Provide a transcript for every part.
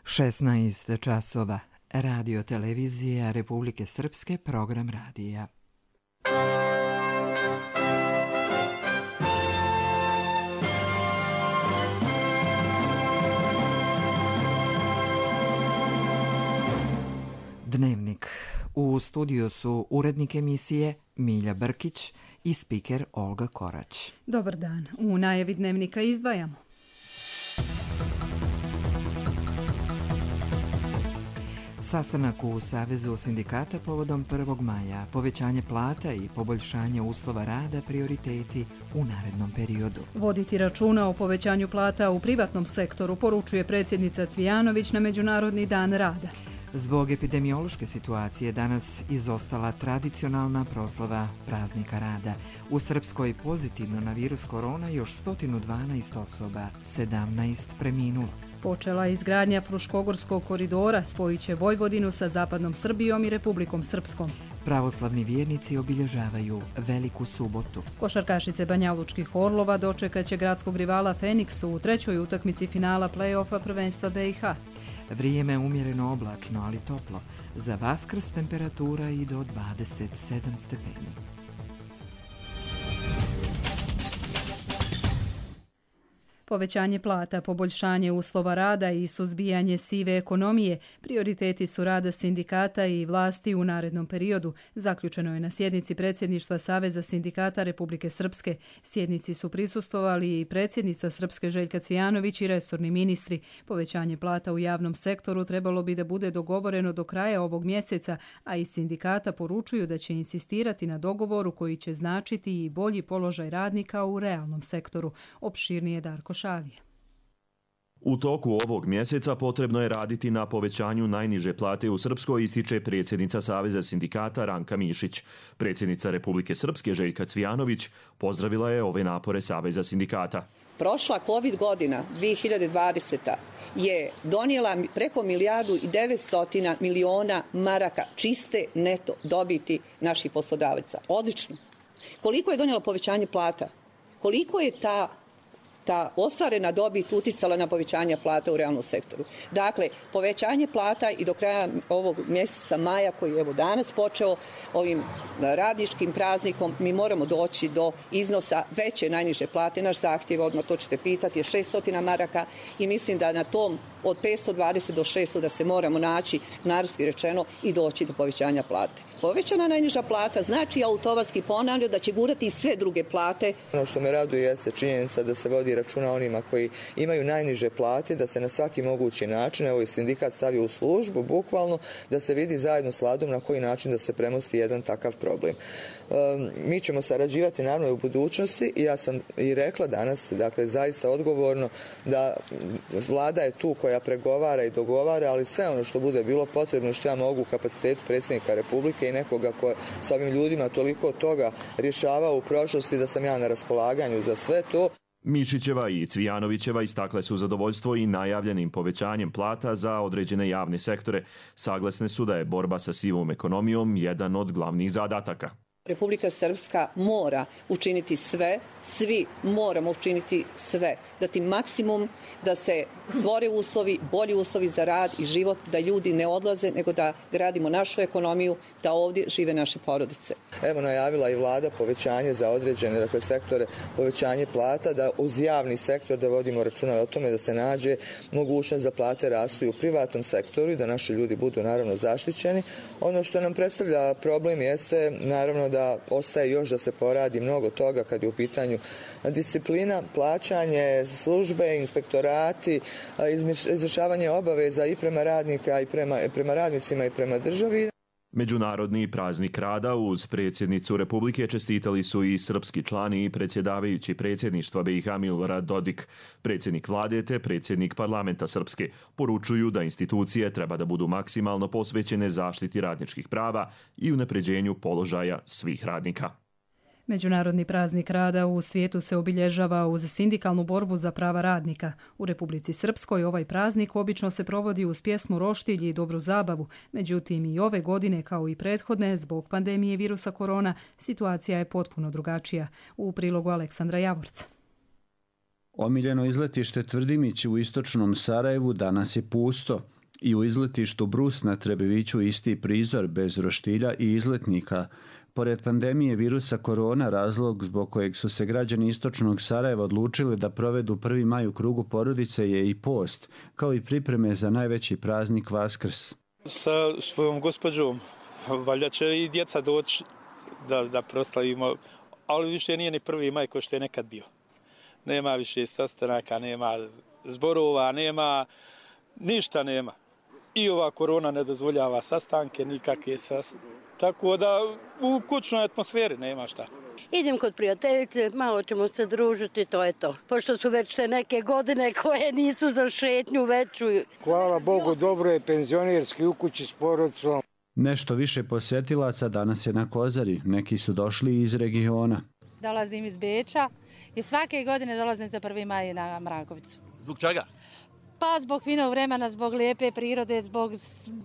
16 časova. Radio televizija Republike Srpske, program radija. Dnevnik. U studiju su urednik emisije Milja Brkić i spiker Olga Korać. Dobar dan. U najavi dnevnika izdvajamo. Sastanak u Savezu sindikata povodom 1. maja, povećanje plata i poboljšanje uslova rada prioriteti u narednom periodu. Voditi računa o povećanju plata u privatnom sektoru, poručuje predsjednica Cvijanović na Međunarodni dan rada. Zbog epidemiološke situacije danas izostala tradicionalna proslava praznika rada. U Srpskoj pozitivno na virus korona još 112 osoba, 17 preminulo. Počela izgradnja Fruškogorskog koridora, spojit će Vojvodinu sa zapadnom Srbijom i Republikom Srpskom. Pravoslavni vjernici obilježavaju Veliku subotu. Košarkašice Banjalučkih Orlova dočekat će gradskog rivala Feniks u trećoj utakmici finala play-offa prvenstva BiH. Vrijeme umjereno oblačno, ali toplo. Za Vaskrs temperatura i do 27 stepeni. Povećanje plata, poboljšanje uslova rada i suzbijanje sive ekonomije prioriteti su rada sindikata i vlasti u narednom periodu, zaključeno je na sjednici predsjedništva Saveza sindikata Republike Srpske. Sjednici su prisustvovali i predsjednica Srpske Željka Cvijanović i resorni ministri. Povećanje plata u javnom sektoru trebalo bi da bude dogovoreno do kraja ovog mjeseca, a iz sindikata poručuju da će insistirati na dogovoru koji će značiti i bolji položaj radnika u realnom sektoru. Opširnije Darko Šavije. U toku ovog mjeseca potrebno je raditi na povećanju najniže plate u Srpskoj, ističe predsjednica Saveza sindikata Ranka Mišić. Predsjednica Republike Srpske Željka Cvijanović pozdravila je ove napore Saveza sindikata. Prošla COVID godina, 2020. je donijela preko 1.900 miliona maraka čiste neto dobiti naših poslodavaca. Odlično. Koliko je donijelo povećanje plata? Koliko je ta ostvarena dobit uticala na povećanje plata u realnom sektoru? Dakle, povećanje plata i do kraja ovog mjeseca maja, koji je evo danas počeo ovim radničkim praznikom, mi moramo doći do iznosa veće najniže plate. Naš zahtjev, odmah to ćete pitati, je 600 maraka i mislim da na tom od 520 do 600 da se moramo naći, narodski rečeno, i doći do povećanja plate. Povećana najniža plata znači automatski, ponavljam, da će gurati i sve druge plate. Ono što me raduje jeste činjenica da se vodi računa onima koji imaju najniže plate, da se na svaki mogući način, evo i sindikat stavio u službu, bukvalno, da se vidi zajedno s Vladom na koji način da se premosti jedan takav problem. Mi ćemo sarađivati naravno u budućnosti i ja sam i rekla danas, dakle zaista odgovorno, da Vlada je tu koja pregovara i dogovara, ali sve ono što bude bilo potrebno, što ja mogu u kapacitetu predsjednika Republike i nekoga ko sa ovim ljudima toliko toga rješavao u prošlosti, da sam ja na raspolaganju za sve to. Mišićeva i Cvijanovićeva istakle su zadovoljstvo i najavljenim povećanjem plata za određene javne sektore. Saglasne su da je borba sa sivom ekonomijom jedan od glavnih zadataka. Republika Srpska mora učiniti sve, svi moramo učiniti sve, dati maksimum da se stvore uslovi, bolji uslovi za rad i život, da ljudi ne odlaze, nego da gradimo našu ekonomiju, da ovdje žive naše porodice. Evo, najavila i Vlada povećanje za određene sektore, povećanje plata, da uz javni sektor da vodimo računa o tome da se nađe mogućnost da plate rastu i u privatnom sektoru i da naši ljudi budu naravno zaštićeni. Ono što nam predstavlja problem jeste naravno da ostaje još da se poradi mnogo toga kad je u pitanju disciplina, plaćanje, službe, inspektorati, izvršavanje obaveza i prema radnika i prema radnicima i prema državi. Međunarodni praznik rada uz predsjednicu Republike čestitali su i srpski člani i predsjedavajući predsjedništva BiH Milorad Dodik. Predsjednik vlade te predsjednik parlamenta Srpske poručuju da institucije treba da budu maksimalno posvećene zaštiti radničkih prava i unapređenju položaja svih radnika. Međunarodni praznik rada u svijetu se obilježava uz sindikalnu borbu za prava radnika. U Republici Srpskoj ovaj praznik obično se provodi uz pjesmu Roštilj i dobru zabavu. Međutim, i ove godine, kao i prethodne, zbog pandemije virusa korona, situacija je potpuno drugačija. U prilogu Aleksandra Javorca. Omiljeno izletište Tvrdimić u istočnom Sarajevu danas je pusto i u izletištu Brus na Trebeviću isti prizor bez roštilja i izletnika. Pored pandemije virusa korona, razlog zbog kojeg su se građani istočnog Sarajeva odlučili da provedu 1. maj u krugu porodice je i post, kao i pripreme za najveći praznik Vaskrs. Sa svojom gospođom, valjda će i djeca doći da proslavimo, ali više nije ni 1. maj kao što je nekad bio. Nema više sastanaka, nema zborova, nema, ništa nema. I ova korona ne dozvoljava sastanke, nikakve tako da u kućnoj atmosferi nema šta. Idem kod prijateljice, malo ćemo se družiti, to je to. Pošto su već se neke godine koje nisu za šetnju veću. Hvala Bogu, dobro je penzionerski u kući s porodicom. Nešto više posjetilaca danas je na Kozari, neki su došli iz regiona. Dolazim iz Beča i svake godine dolazim za 1. maj na Mrakovicu. Zbog čega? Pa zbog finog vremena, zbog lijepe prirode,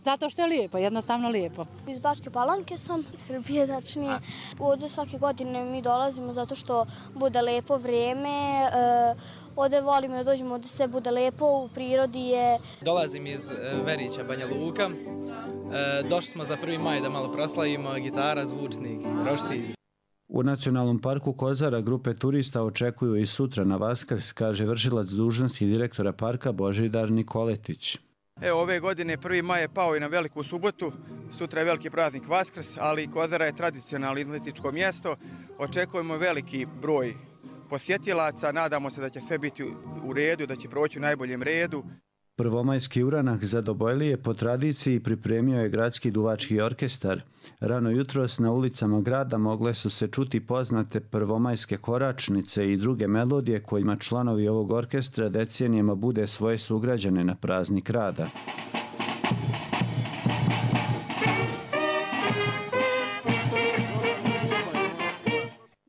zato što je lijepo, jednostavno lijepo. Iz Bačke Palanke sam, Srbije tačnije. Ovdje svake godine mi dolazimo zato što bude lijepo vrijeme. Ovdje volimo da dođemo, ovdje sve bude lijepo, u prirodi je. Dolazim iz Verića, Banja Luka. Došli smo za 1. maj da malo proslavimo, gitara, zvučnik, roštilj. U Nacionalnom parku Kozara grupe turista očekuju i sutra na Vaskrs, kaže vršilac dužnosti direktora parka Božidar Nikoletić. Evo, ove godine 1. maj je pao i na veliku subotu, sutra je veliki praznik Vaskrs, ali Kozara je tradicionalno izletičko mjesto. Očekujemo veliki broj posjetilaca, nadamo se da će sve biti u redu, da će proći u najboljem redu. Prvomajski uranak za Dobojlije po tradiciji pripremio je gradski duvački orkestar. Rano jutros na ulicama grada mogle su se čuti poznate prvomajske koračnice i druge melodije kojima članovi ovog orkestra decenijama bude svoje sugrađane na praznik rada.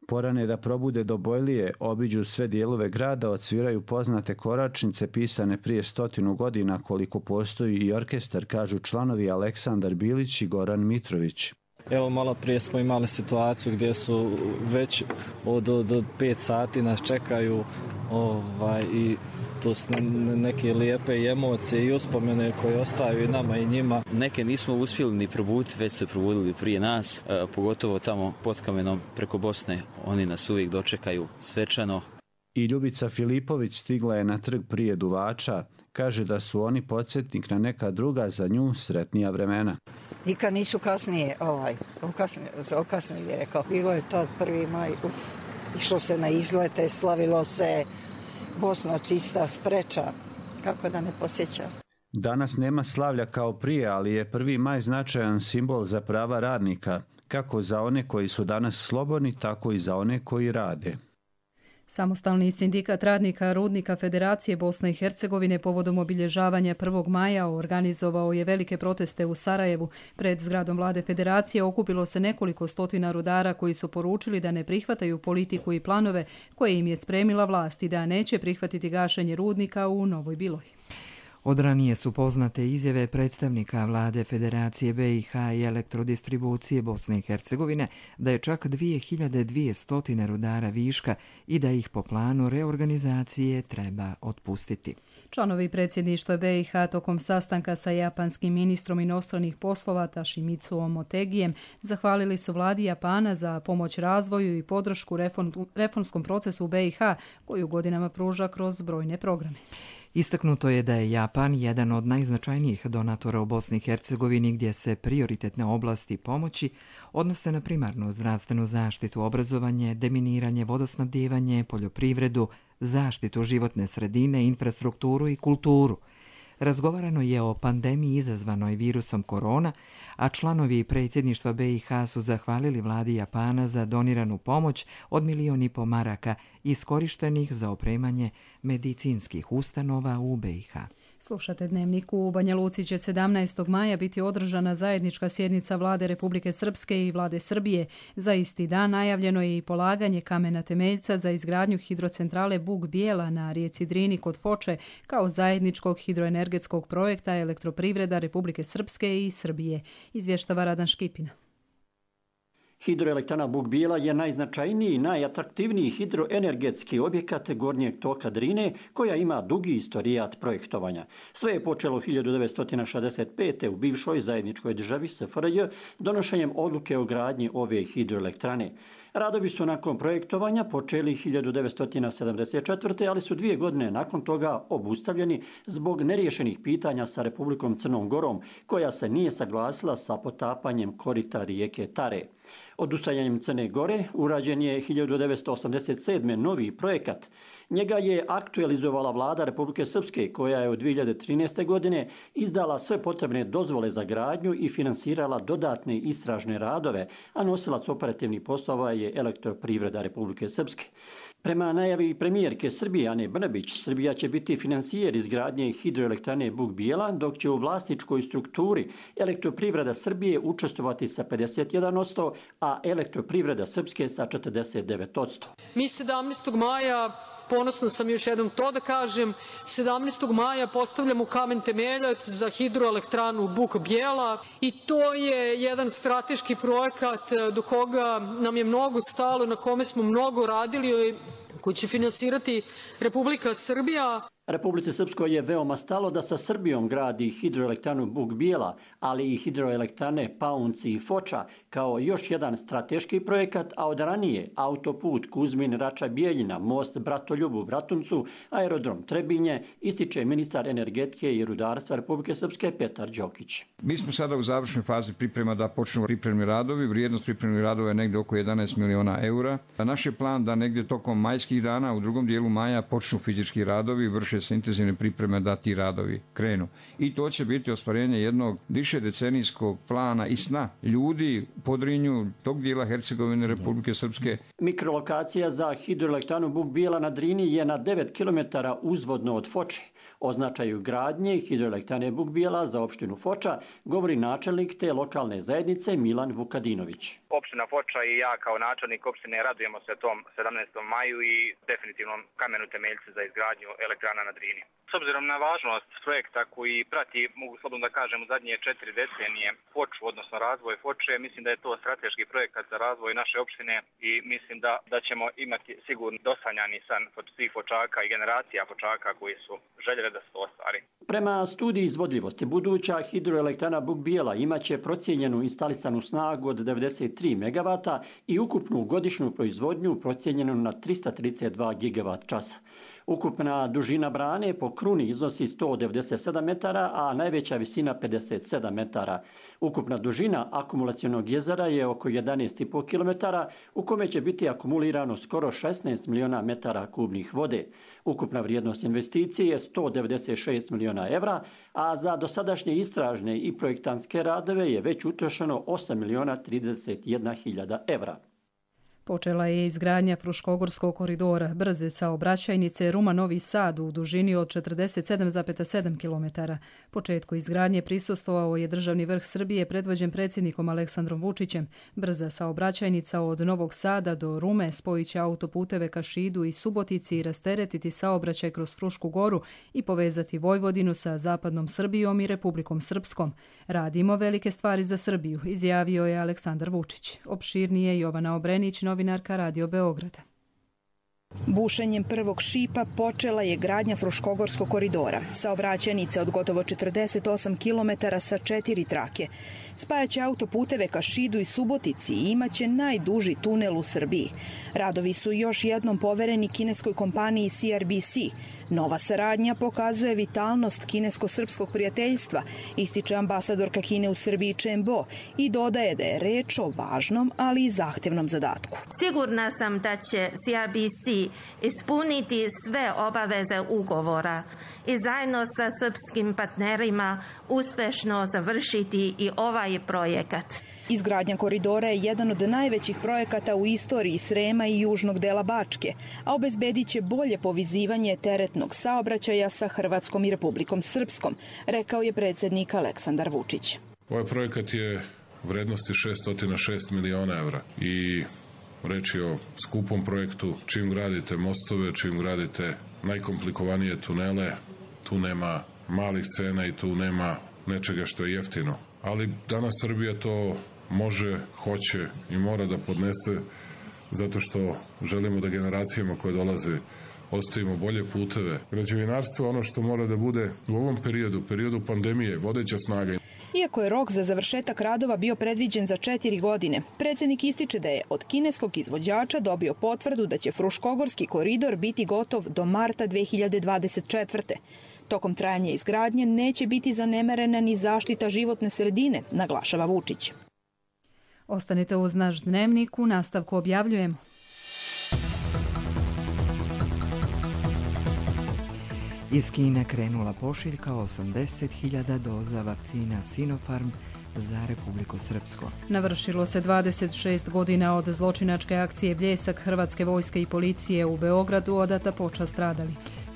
Porane da probude Dobojlije, obiđu sve dijelove grada, odsviraju poznate koračnice pisane prije 100 godina koliko postoji i orkestar, kažu članovi Aleksandar Bilić i Goran Mitrović. Evo, malo prije smo imali situaciju gdje su već od 5 sati nas čekaju i to su neke lijepe emocije i uspomene koje ostaju i nama i njima. Neke nismo uspjeli ni probuditi, već se probudili prije nas, pogotovo tamo pod Kamenom preko Bosne. Oni nas uvijek dočekaju svečano. I Ljubica Filipović stigla je na trg prije duvača. Kaže da su oni podsjetnik na neka druga za nju sretnija vremena. Nikad nisu kasnije okasnili, rekao. Bilo je tad 1. maj, išlo se na izlete, slavilo se, Bosna čista, spreča, kako da ne posjeća. Danas nema slavlja kao prije, ali je 1. maj značajan simbol za prava radnika, kako za one koji su danas slobodni, tako i za one koji rade. Samostalni sindikat radnika Rudnika Federacije Bosne i Hercegovine povodom obilježavanja 1. maja organizovao je velike proteste u Sarajevu. Pred zgradom vlade Federacije okupilo se nekoliko stotina rudara koji su poručili da ne prihvataju politiku i planove koje im je spremila vlast i da neće prihvatiti gašenje rudnika u Novoj Biloji. Od ranije su poznate izjave predstavnika vlade Federacije BiH i elektrodistribucije Bosne i Hercegovine da je čak 2200 rudara viška i da ih po planu reorganizacije treba otpustiti. Članovi predsjedništva BiH tokom sastanka sa japanskim ministrom inostranih poslova Toshimitsuom Motegijem zahvalili su vladi Japana za pomoć razvoju i podršku reformskom procesu u BiH koju godinama pruža kroz brojne programe. Istaknuto je da je Japan jedan od najznačajnijih donatora u Bosni i Hercegovini gdje se prioritetne oblasti pomoći odnose na primarnu zdravstvenu zaštitu, obrazovanje, deminiranje, vodosnabdijevanje, poljoprivredu, zaštitu životne sredine, infrastrukturu i kulturu. Razgovarano je o pandemiji izazvanoj virusom korona, a članovi predsjedništva BiH su zahvalili vladi Japana za doniranu pomoć od 1,5 miliona maraka iskorištenih za opremanje medicinskih ustanova u BiH. Slušate Dnevnik. U Banja Luci će 17. maja biti održana zajednička sjednica vlade Republike Srpske i vlade Srbije. Za isti dan najavljeno je i polaganje kamena temeljca za izgradnju hidrocentrale Bug Bijela na rijeci Drini kod Foče kao zajedničkog hidroenergetskog projekta Elektroprivreda Republike Srpske i Srbije. Izvještava Radan Škipina. Hidroelektrana Buk Bijela je najznačajniji i najatraktivniji hidroenergetski objekat gornjeg toka Drine koja ima dugi istorijat projektovanja. Sve je počelo 1965. u bivšoj zajedničkoj državi SFRJ donošenjem odluke o gradnji ove hidroelektrane. Radovi su nakon projektovanja počeli 1974. ali su 2 godine nakon toga obustavljeni zbog neriješenih pitanja sa Republikom Crnom Gorom koja se nije saglasila sa potapanjem korita rijeke Tare. Odustajanjem Crne Gore urađen je 1987. novi projekat. Njega je aktualizovala vlada Republike Srpske koja je od 2013. godine izdala sve potrebne dozvole za gradnju i finansirala dodatne istražne radove, a nosilac operativnih poslova je Elektroprivreda Republike Srpske. Prema najavi premijerke Srbije Ane Brnabić, Srbija će biti finansijer izgradnje hidroelektrane Buk Bijela, dok će u vlasničkoj strukturi Elektroprivreda Srbije učestvovati sa 51%, a Elektroprivreda Srpske sa 49%. Mi 17. maja, ponosno sam još jednom to da kažem, 17. maja postavljamo kamen temeljac za hidroelektranu Buk Bijela i to je jedan strateški projekat do koga nam je mnogo stalo, na kome smo mnogo radili, koji će finansirati Republika Srbija. Republici Srpskoj je veoma stalo da sa Srbijom gradi hidroelektranu Buk Bijela, ali i hidroelektrane Paunci i Foča kao još jedan strateški projekat, a od ranije autoput Kuzmin-Rača-Bijeljina, most Bratoljub u Bratuncu, aerodrom Trebinje, ističe ministar energetike i rudarstva Republike Srpske Petar Đokić. Mi smo sada u završnoj fazi priprema da počnu pripremni radovi. Vrijednost pripremnih radova je negdje oko 11 miliona eura. Naš je plan da negdje tokom majskih dana, u drugom dijelu maja, počnu fizički radovi, vrše se intenzivne pripreme da ti radovi krenu. I to će biti ostvarenje jednog višedecenijskog plana i sna ljudi u Podrinju, tog dijela Hercegovine, Republike Srpske. Mikrolokacija za hidroelektranu Buk Bijela na Drini je na 9 km uzvodno od Foče. O značaju gradnje hidroelektrane Buk Bijela za opštinu Foča govori načelnik te lokalne zajednice Milan Vukadinović. Opština Foča i ja kao načelnik opštine radujemo se tom 17. maju i definitivnom kamenu temeljcu za izgradnju elektrana na Drini. S obzirom na važnost projekta koji prati, mogu slobodno da kažem, u zadnje 4 decenije Foču, odnosno razvoj Foče, mislim da je to strateški projekat za razvoj naše opštine i mislim da ćemo imati sigurno dosanjani san svih Fočaka i generacija Fočaka koji su željeli da se to ostvari. Prema studiji izvodljivosti, buduća hidroelektrana Buk Bijela imaće procijenjenu instalisanu snagu od 93 MW i ukupnu godišnju proizvodnju procijenjenu na 332 GWh. Ukupna dužina brane po kruni iznosi 197 metara, a najveća visina 57 metara. Ukupna dužina akumulacionog jezera je oko 11,5 km, u kome će biti akumulirano skoro 16 miliona metara kubnih vode. Ukupna vrijednost investicije je 196 miliona evra, a za dosadašnje istražne i projektantske radove je već utrošeno 8 miliona 31 hiljada evra. Počela je izgradnja Fruškogorskog koridora brze saobraćajnice Ruma-Novi Sad u dužini od 47,7 km. Početku izgradnje prisustvovao je državni vrh Srbije predvođen predsjednikom Aleksandrom Vučićem. Brza saobraćajnica od Novog Sada do Rume spojiće autoputeve ka Šidu i Subotici i rasteretiti saobraćaj kroz Frušku goru i povezati Vojvodinu sa zapadnom Srbijom i Republikom Srpskom. Radimo velike stvari za Srbiju, izjavio je Aleksandar Vučić. Opširnije Jovana Obrenić, novinarka Radio Beograda. Bušenjem prvog šipa počela je gradnja Fruškogorskog koridora. Saobraćajnica od gotovo 48 km sa 4 trake. Spajaće autoputeve ka Šidu i Subotici i imaće najduži tunel u Srbiji. Radovi su još jednom povereni kineskoj kompaniji CRBC. Nova saradnja pokazuje vitalnost kinesko-srpskog prijateljstva, ističe ambasadorka Kine u Srbiji Chen Bo i dodaje da je reč o važnom, ali i zahtevnom zadatku. Sigurna sam da će CRBC ispuniti sve obaveze ugovora i zajedno sa srpskim partnerima uspešno završiti i ovaj projekat. Izgradnja koridora je jedan od najvećih projekata u istoriji Srema i južnog dela Bačke, a obezbedit će bolje povezivanje teretnog saobraćaja sa Hrvatskom i Republikom Srpskom, rekao je predsjednik Aleksandar Vučić. Ovaj projekat je vrednosti 606 miliona evra i reč je o skupom projektu. Čim gradite mostove, čim gradite najkomplikovanije tunele, tu nema malih cena i tu nema nečega što je jeftino. Ali danas Srbija to može, hoće i mora da podnese, zato što želimo da generacijama koje dolaze ostavimo bolje puteve. Građevinarstvo je ono što mora da bude u ovom periodu pandemije, vodeća snaga. Iako je rok za završetak radova bio predviđen za 4 godine, predsjednik ističe da je od kineskog izvođača dobio potvrdu da će Fruškogorski koridor biti gotov do marta 2024. Tokom trajanja izgradnje neće biti zanemarena ni zaštita životne sredine, naglašava Vučić. Ostanite uz naš dnevnik, u nastavku objavljujemo. Iz Kine krenula pošiljka 80.000 doza vakcina Sinopharm za Republiku Srpsku. Navršilo se 26 godina od zločinačke akcije Bljesak Hrvatske vojske i policije u Beogradu, odata počast stradali.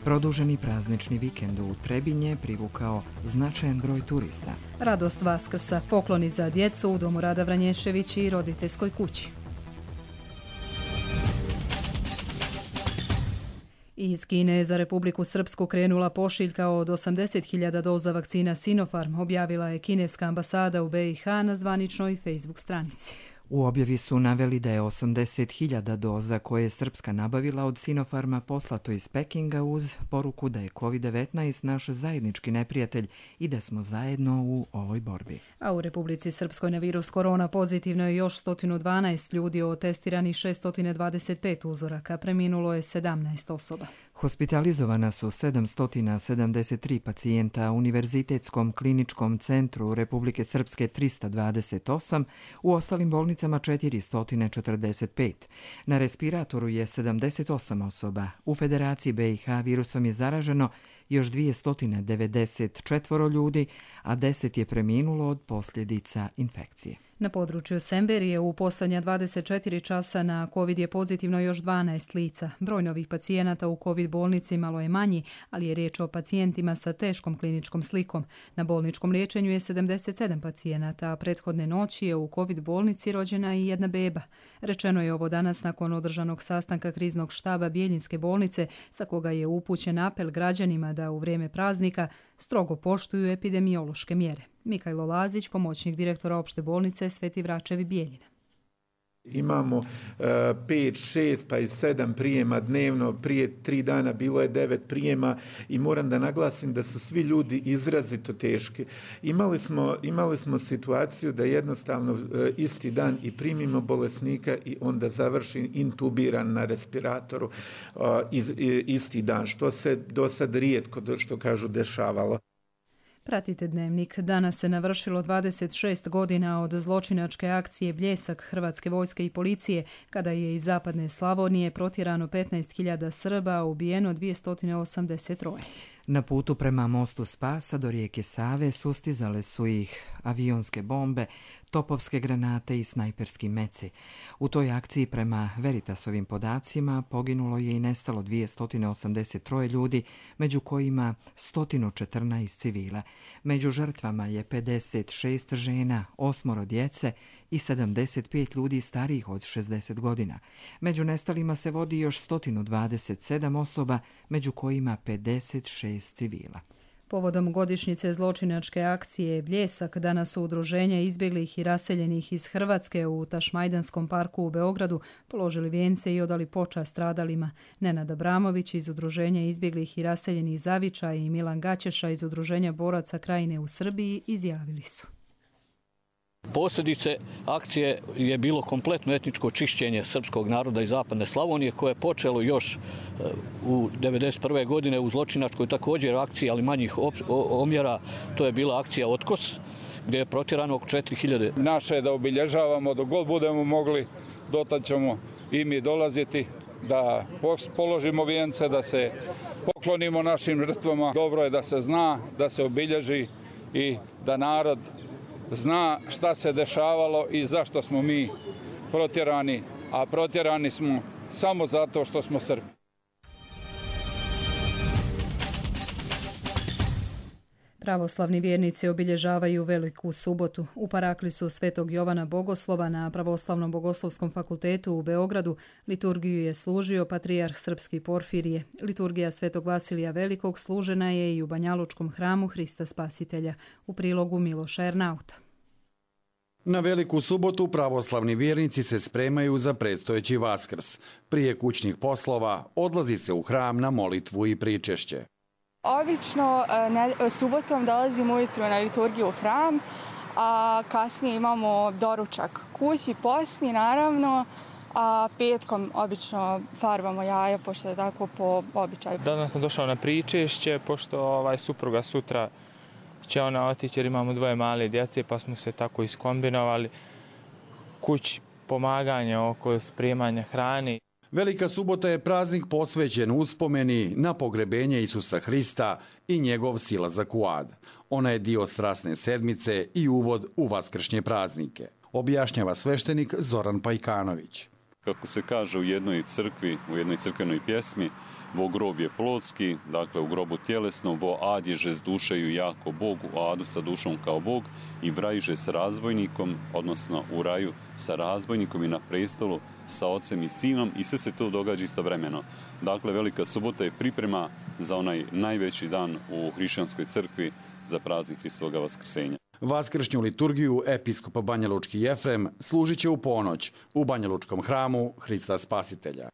Produženi praznični vikend u Trebinje privukao značajan broj turista. Radost Vaskrsa, pokloni za djecu u Domu Rada Vranješević i roditeljskoj kući. Iz Kine je za Republiku Srpsku krenula pošiljka od 80.000 doza vakcina Sinopharm, objavila je kineska ambasada u BiH na zvaničnoj Facebook stranici. U objavi su naveli da je 80.000 doza koje je Srpska nabavila od Sinopharma poslato iz Pekinga uz poruku da je COVID-19 naš zajednički neprijatelj i da smo zajedno u ovoj borbi. A u Republici Srpskoj na virus korona pozitivno je još 112 ljudi, od testiranih 625 uzoraka, preminulo je 17 osoba. Hospitalizovana su 773 pacijenta, u Univerzitetskom kliničkom centru Republike Srpske 328, u ostalim bolnicama 445. Na respiratoru je 78 osoba. U Federaciji BiH virusom je zaraženo još 294 ljudi, a 10 je preminulo od posljedica infekcije. Na području Semberije u posljednja 24 časa na COVID je pozitivno još 12 lica. Broj novih pacijenata u COVID bolnici malo je manji, ali je riječ o pacijentima sa teškom kliničkom slikom. Na bolničkom liječenju je 77 pacijenata, a prethodne noći je u COVID bolnici rođena i jedna beba. Rečeno je ovo danas nakon održanog sastanka kriznog štaba Bjeljinske bolnice, sa koga je upućen apel građanima da u vrijeme praznika strogo poštuju epidemiološke mjere. Mikajlo Lazić, pomoćnik direktora opšte bolnice Sveti Vračevi Bijeljina. Imamo 5, 6 pa i 7 prijema dnevno, prije 3 dana bilo je 9 prijema i moram da naglasim da su svi ljudi izrazito teški. Imali smo situaciju da jednostavno isti dan i primimo bolesnika i onda završi intubiran na respiratoru isti dan, što se do sad rijetko, što kažu, dešavalo. Pratite dnevnik. Danas se navršilo 26 godina od zločinačke akcije Bljesak Hrvatske vojske i policije, kada je iz zapadne Slavonije protjerano 15.000 Srba, a ubijeno 283. Na putu prema mostu Spasa do rijeke Save sustizale su ih avionske bombe, topovske granate i snajperski meci. U toj akciji prema Veritasovim podacima poginulo je i nestalo 283 ljudi, među kojima 114 civila. Među žrtvama je 56 žena, 8 djece i 75 ljudi starijih od 60 godina. Među nestalima se vodi još 127 osoba, među kojima 56 civila. Povodom godišnjice zločinačke akcije Bljesak, danas su udruženja izbjeglih i raseljenih iz Hrvatske u Tašmajdanskom parku u Beogradu položili vijence i odali počast stradalima. Nenad Abramović iz udruženja izbjeglih i raseljenih Zaviča i Milan Gaćeša iz udruženja boraca Krajine u Srbiji izjavili su. Posljedice akcije je bilo kompletno etničko čišćenje srpskog naroda iz zapadne Slavonije, koje je počelo još u 1991. godine u zločinačkoj također akciji, ali manjih omjera. To je bila akcija Otkos, gdje je protjerano oko 4.000. Naše je da obilježavamo dok god budemo mogli, dotad ćemo i mi dolaziti, da položimo vijence, da se poklonimo našim žrtvama. Dobro je da se zna, da se obilježi i da narod zna šta se dešavalo i zašto smo mi protjerani, a protjerani smo samo zato što smo Srbi. Pravoslavni vjernici obilježavaju Veliku subotu. U paraklisu Svetog Jovana Bogoslova na Pravoslavnom bogoslovskom fakultetu u Beogradu liturgiju je služio patrijarh srpski Porfirije. Liturgija Svetog Vasilija Velikog služena je i u Banjalučkom hramu Hrista Spasitelja. U prilogu Miloša Ernauta. Na Veliku subotu pravoslavni vjernici se spremaju za predstojeći Vaskrs. Prije kućnih poslova odlazi se u hram na molitvu i pričešće. Obično subotom dolazimo ujutro na liturgiju u hram, a kasnije imamo doručak kući, posni naravno, a petkom obično farbamo jaja, pošto je tako po običaju. Danas sam došao na pričešće, pošto supruga sutra će ona otići jer imamo 2 male djece, pa smo se tako iskombinovali. Kući pomaganje oko spremanja hrane. Velika subota je praznik posvećen uspomeni na pogrebenje Isusa Hrista i njegov silazak u ad. Ona je dio strasne sedmice i uvod u vaskršnje praznike, objašnjava sveštenik Zoran Pajkanović. Kako se kaže u jednoj crkvi, u jednoj crkvenoj pjesmi, vo grob je plotski, dakle u grobu tjelesno, vo ad je žez dušeju jako Bog, u adu sa dušom kao Bog i v raju že s razbojnikom, odnosno u raju sa razbojnikom i na prestolu sa ocem i sinom i sve se to događa istovremeno. Dakle, Velika subota je priprema za onaj najveći dan u hrišćanskoj crkvi za praznik Hristovoga vaskrsenja. Vaskršnju liturgiju episkopa Banjalučki Jefrem služit će u ponoć u Banjalučkom hramu Hrista Spasitelja.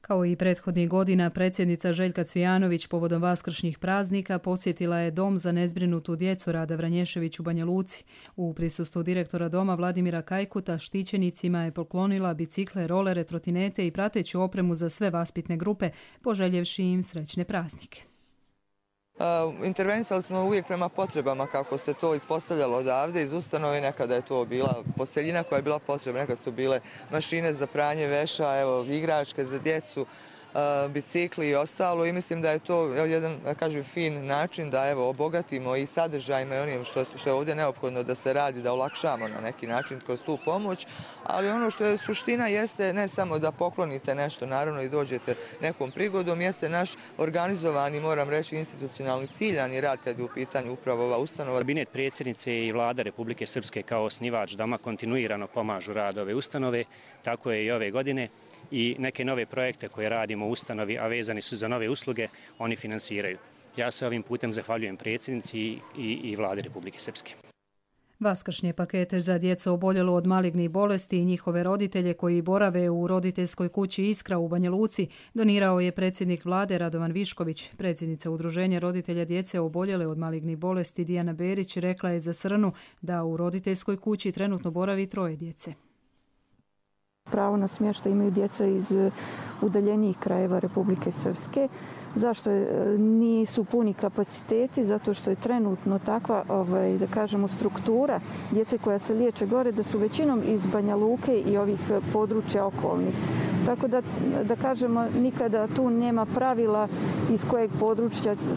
Kao i prethodnih godina, predsjednica Željka Cvijanović povodom vaskršnjih praznika posjetila je Dom za nezbrinutu djecu Rada Vranješević u Banja Luci. U prisustvu direktora doma Vladimira Kajkuta štićenicima je poklonila bicikle, rolere, trotinete i prateću opremu za sve vaspitne grupe, poželjevši im srećne praznike. Intervenisali smo uvijek prema potrebama kako se to ispostavljalo odavde iz ustanove. Nekada je to bila posteljina koja je bila potrebna, nekada su bile mašine za pranje veša, evo, igračke za djecu, bicikli i ostalo i mislim da je to jedan, da kažem, fin način da evo obogatimo i sadržajima i onim što je ovdje neophodno da se radi, da olakšamo na neki način kroz tu pomoć, ali ono što je suština jeste ne samo da poklonite nešto, naravno i dođete nekom prigodom, jeste naš organizovani, moram reći, institucionalni ciljani rad kad je u pitanju upravo ova ustanova. Kabinet predsjednice i vlada Republike Srpske kao osnivač doma kontinuirano pomažu rad ove ustanove, tako je i ove godine. I neke nove projekte koje radimo u ustanovi, a vezani su za nove usluge, oni finansiraju. Ja se ovim putem zahvaljujem predsjednici i vlade Republike Srpske. Vaskršnje pakete za djecu oboljelo od malignih bolesti i njihove roditelje koji borave u roditeljskoj kući Iskra u Banja Luci donirao je predsjednik vlade Radovan Višković. Predsjednica Udruženja roditelja djece oboljele od malignih bolesti Dijana Berić rekla je za Srnu da u roditeljskoj kući trenutno boravi 3 djece. Pravo na smještaj imaju djeca iz udaljenijih krajeva Republike Srpske. Zašto nisu puni kapaciteti? Zato što je trenutno takva, da kažemo, struktura djece koja se liječe gore, da su većinom iz Banja Luke i ovih područja okolnih. Tako da kažemo, nikada tu nema pravila iz kojeg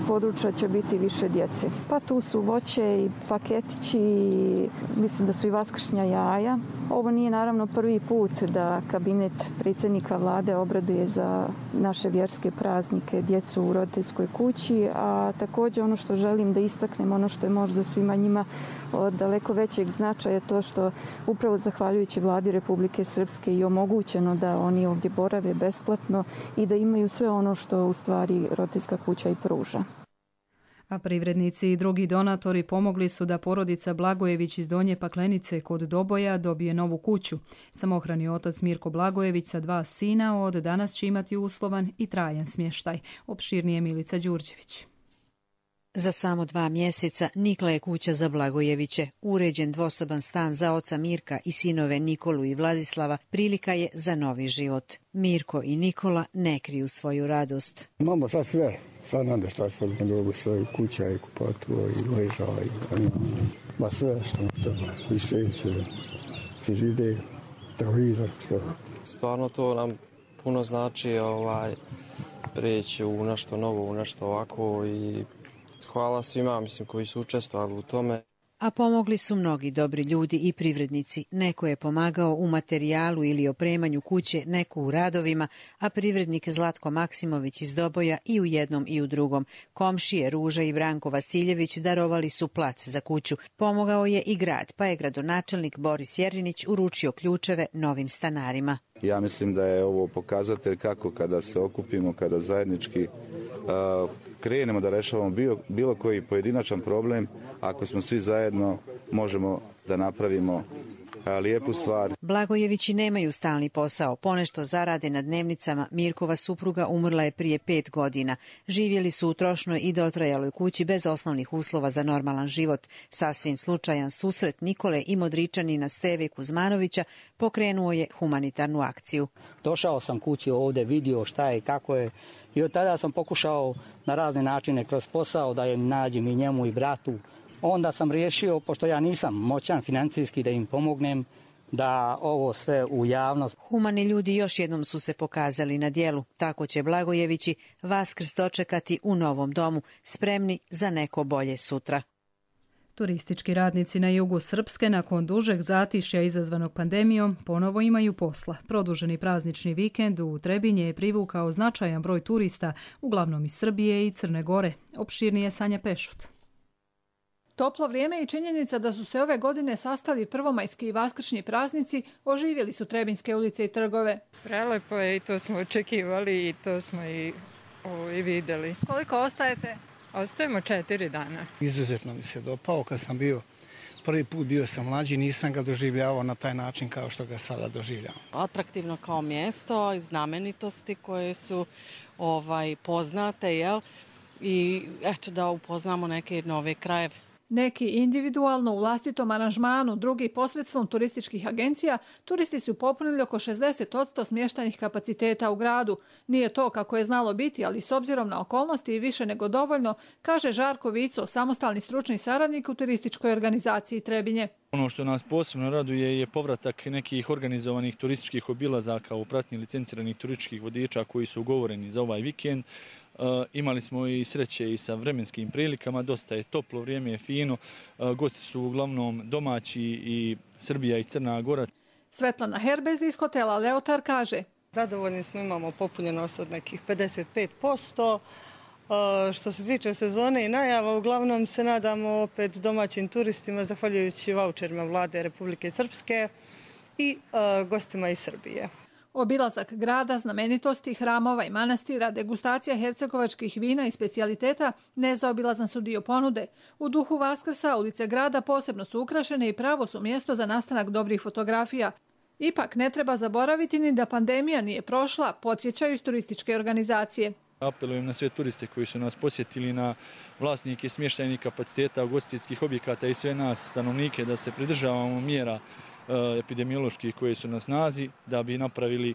područja će biti više djece. Pa tu su voće i paketići, mislim da su i vaskršnja jaja. Ovo nije naravno prvi put da kabinet predsjednika vlade obraduje za naše vjerske praznike djecu u roditeljskoj kući, a također ono što želim da istaknem, ono što je možda svima njima od daleko većeg značaja, to što upravo zahvaljujući vladi Republike Srpske i omogućeno da oni ovdje borave besplatno i da imaju sve ono što u stvari roditeljska kuća i pruža. A privrednici i drugi donatori pomogli su da porodica Blagojević iz Donje Paklenice kod Doboja dobije novu kuću. Samohrani otac Mirko Blagojević sa 2 sina od danas će imati uslovan i trajan smještaj. Opširnije Milica Đurđević. Za samo 2 mjeseca nikla je kuća za Blagojeviće. Uređen dvosoban stan za oca Mirka i sinove Nikolu i Vladislava prilika je za novi život. Mirko i Nikola ne kriju svoju radost. Imamo sad sve. Sad namještaj smo dobu svoje kuća i kupatvo i ležava i ma sve što treba. I sveće, frižider, televizor, sve. Stvarno to nam puno znači preći u nešto novo, u nešto ovako i hvala svima, koji su učestvovali u tome. A pomogli su mnogi dobri ljudi i privrednici. Neko je pomagao u materijalu ili opremanju kuće, neko u radovima, a privrednik Zlatko Maksimović iz Doboja i u jednom i u drugom. Komšije Ruža i Branko Vasiljević darovali su plac za kuću. Pomogao je i grad, pa je gradonačelnik Boris Jerinić uručio ključeve novim stanarima. Ja mislim da je ovo pokazatelj kako kada se okupimo, kada zajednički krenemo da rešavamo bilo koji pojedinačan problem, ako smo svi zajedno možemo da napravimo lijepu stvar. Blagojevići nemaju stalni posao, ponešto zarade na dnevnicama. Mirkova supruga umrla je prije 5 godina. Živjeli su u trošnoj i dotrajaloj kući bez osnovnih uslova za normalan život. Sasvim slučajan susret Nikole i Modričanina Steve Kuzmanovića pokrenuo je humanitarnu akciju. Došao sam kući ovdje, vidio šta je, kako je i od tada sam pokušao na razne načine kroz posao da im nađem i njemu i bratu. Onda sam riješio, pošto ja nisam moćan financijski, da im pomognem da ovo sve u javnost. Humani ljudi još jednom su se pokazali na djelu. Tako će Blagojevići Vaskrs dočekati u novom domu, spremni za neko bolje sutra. Turistički radnici na jugu Srpske nakon dužeg zatišja izazvanog pandemijom ponovo imaju posla. Produženi praznični vikend u Trebinje je privukao značajan broj turista, uglavnom iz Srbije i Crne Gore. Opširnije Sanja Pešut. Toplo vrijeme i činjenica da su se ove godine sastali prvomajski i vaskršnji praznici oživjeli su Trebinjske ulice i trgove. Prelepo je i to smo očekivali i to smo i vidjeli. Koliko ostajete? Ostajemo 4 dana. Izuzetno mi se dopao. Kad sam prvi put bio sam mlađi, nisam ga doživljavao na taj način kao što ga sada doživljavam. Atraktivno kao mjesto i znamenitosti koje su poznate, jel? I eto da upoznamo neke nove krajeve. Neki individualno u vlastitom aranžmanu, drugi posredstvom turističkih agencija, turisti su popunili oko 60% smještajnih kapaciteta u gradu. Nije to kako je znalo biti, ali s obzirom na okolnosti i više nego dovoljno, kaže Žarko Vico, samostalni stručni saradnik u turističkoj organizaciji Trebinje. Ono što nas posebno raduje je povratak nekih organizovanih turističkih obilazaka u pratnji licenciranih turističkih vodiča koji su ugovoreni za ovaj vikend. Imali smo i sreće i sa vremenskim prilikama, dosta je toplo, vrijeme je fino, gosti su uglavnom domaći i Srbija i Crna Gora. Svetlana Herbez iz hotela Leotar kaže: Zadovoljni smo, imamo popunjenost od nekih 55%. Što se tiče sezone i najava, uglavnom se nadamo opet domaćim turistima, zahvaljujući vaučerima vlade Republike Srpske i gostima iz Srbije. Obilazak grada, znamenitosti, hramova i manastira, degustacija hercegovačkih vina i specijaliteta nezaobilazan su dio ponude. U duhu Vaskrsa ulice grada posebno su ukrašene i pravo su mjesto za nastanak dobrih fotografija. Ipak ne treba zaboraviti ni da pandemija nije prošla, podsjećaju iz turističke organizacije. Apelujem na sve turiste koji su nas posjetili, na vlasnike smještajnih kapaciteta, ugostiteljskih objekata i sve nas stanovnike da se pridržavamo mjera epidemioloških koje su na snazi, da bi napravili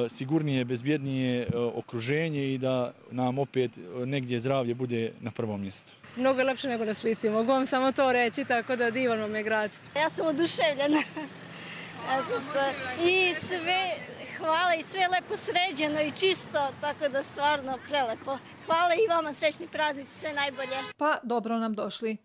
sigurnije, bezbjednije okruženje i da nam opet negdje zdravlje bude na prvom mjestu. Mnogo je lepše nego na slici, mogu vam samo to reći, tako da divan vam je grad. Ja sam oduševljena. I sve, hvala, i sve lepo sređeno i čisto, tako da stvarno prelepo. Hvala i vama, srećni praznici, sve najbolje. Pa dobro nam došli.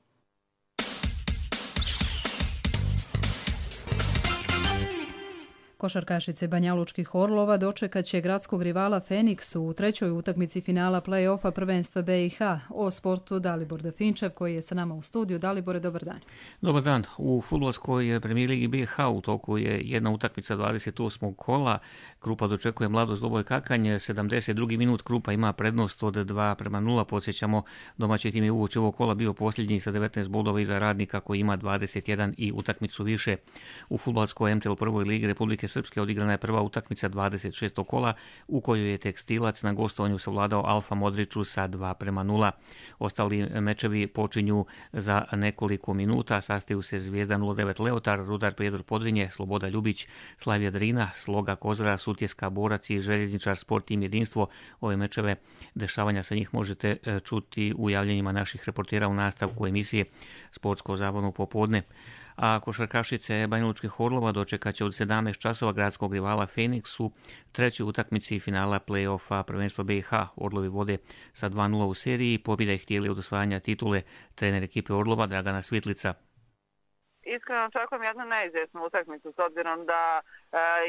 Košarkašice Banjalučkih Orlova dočekat će gradskog rivala Feniks u trećoj utakmici finala play-offa prvenstva BiH. O sportu Dalibor Definčev koji je sa nama u studiju. Dalibore, dobar dan. Dobar dan. U fudbalskoj premijer ligi BiH u toku je jedna utakmica 28. kola. Krupa dočekuje Mladost Doboj Kakanj. 72. minut Krupa ima prednost od 2:0. Podsjećamo, domaći tim je uoči ovog kola bio posljednji sa 19 bodova iza Radnika koji ima 21 i utakmicu više. U fudbalskoj MTL prvoj ligi Republike Srpske odigrana je prva utakmica 26. kola u kojoj je Tekstilac na gostovanju savladao Alfa Modriću sa 2:0. Ostali mečevi počinju za nekoliko minuta. Sastaju se Zvijezda 09 Leotar, Rudar Prijedor Podrinje, Sloboda Ljubić, Slavija Drina, Sloga Kozara, Sutjeska Borac i Željezničar Sport Tim Jedinstvo. Ove mečeve, dešavanja sa njih možete čuti u javljenjima naših reportera u nastavku emisije Sportsko zabavno popodne. A košarkašice Banjalučkih Orlova dočekat će od 17 časova gradskog rivala Feniks u trećoj utakmici finala play-offa prvenstva BiH. Orlovi vode sa 2:0 u seriji, pobjeda ih htjeli od osvajanja titule. Trener ekipe Orlova Dragana Svitlica. Iskreno očekujem jednu neizvjesnu utakmicu s obzirom da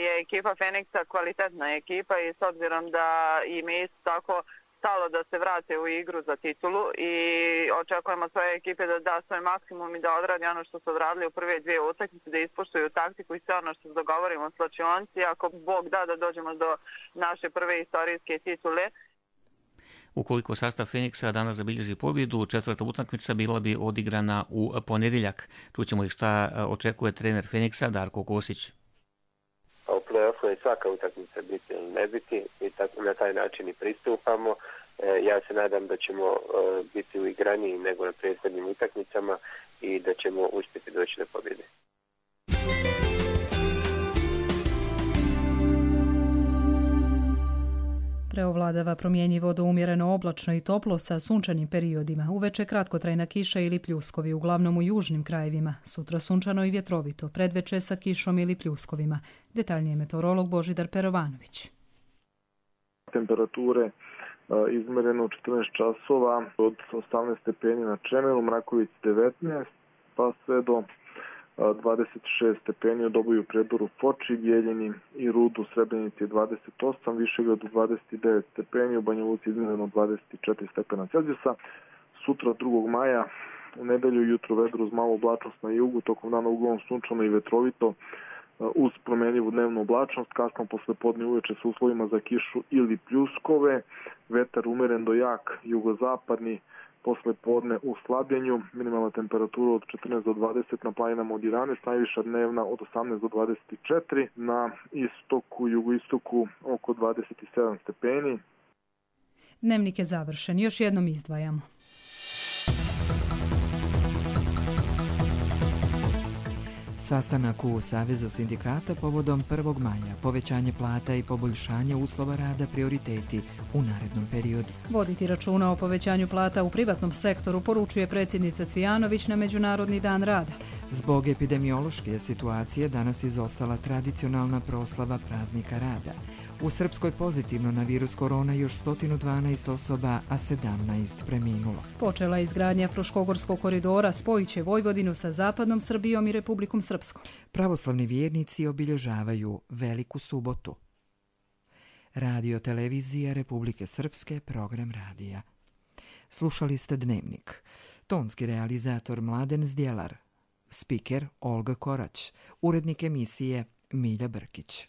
je ekipa Feniksa kvalitetna ekipa i s obzirom da im je isto tako stalo da se vrate u igru za titulu i očekujemo svoje ekipe da da svoj maksimum i da odradi ono što su odradili u prve dvije utakmice, da ispoštuju taktiku i sve ono što se dogovorimo s slačionci, ako Bog da dođemo do naše prve istorijske titule. Ukoliko sastav Feniksa danas zabilježi pobjedu, četvrta utakmica bila bi odigrana u ponedjeljak. Čućemo i šta očekuje trener Feniksa Darko Kosić. U play-offu je svaka utakmica biti ili ne biti i tako na taj način i pristupamo. Ja se nadam da ćemo biti uigraniji nego na prethodnim utakmicama i da ćemo uspjeti doći do pobjede. Preovladava promjenjivo do umjereno oblačno i toplo sa sunčanim periodima. Uveče kratkotrajna kiša ili pljuskovi, uglavnom u južnim krajevima. Sutra sunčano i vjetrovito, predveče sa kišom ili pljuskovima. Detaljnije meteorolog Božidar Perovanović. Temperature izmereno 14 časova od 18 stepeni na Čemelu, Mraković 19, pa sve do 26 stepeni u Doboju, Predoru, Foči, Bijeljini i Rudu, Srebrenici 28, Višegradu 29 stepeni, u Banja Luci izmjereno 24 stepena Celzijusa. Sutra 2. maja u nedelju jutro vedro uz malu oblačnost na jugu, tokom dana uglavnom sunčano i vetrovito uz promjenjivu dnevnu oblačnost, kasno poslepodne uveče sa uslovima za kišu ili pljuskove, vetar umeren do jak jugozapadni, posle podne u slabljenju, minimalna temperatura od 14 do 20 na planinama od 11, najviša dnevna od 18 do 24, na istoku, jugoistoku oko 27 stepeni. Dnevnik je završen, još jednom izdvajamo. Sastanak u Savezu sindikata povodom 1. maja, povećanje plata i poboljšanje uslova rada prioriteti u narednom periodu. Voditi računa o povećanju plata u privatnom sektoru, poručuje predsjednica Cvijanović na Međunarodni dan rada. Zbog epidemiološke situacije danas izostala tradicionalna proslava praznika rada. U Srpskoj pozitivno na virus korona još 112 osoba, a 17 preminulo. Počela je izgradnja Fruškogorskog koridora, spojit će Vojvodinu sa zapadnom Srbijom i Republikom Srpskom. Pravoslavni vjernici obilježavaju Veliku subotu. Radio televizija Republike Srpske, program radija. Slušali ste Dnevnik. Tonski realizator Mladen Zdjelar. Spiker Olga Korać. Urednik emisije Milja Brkić.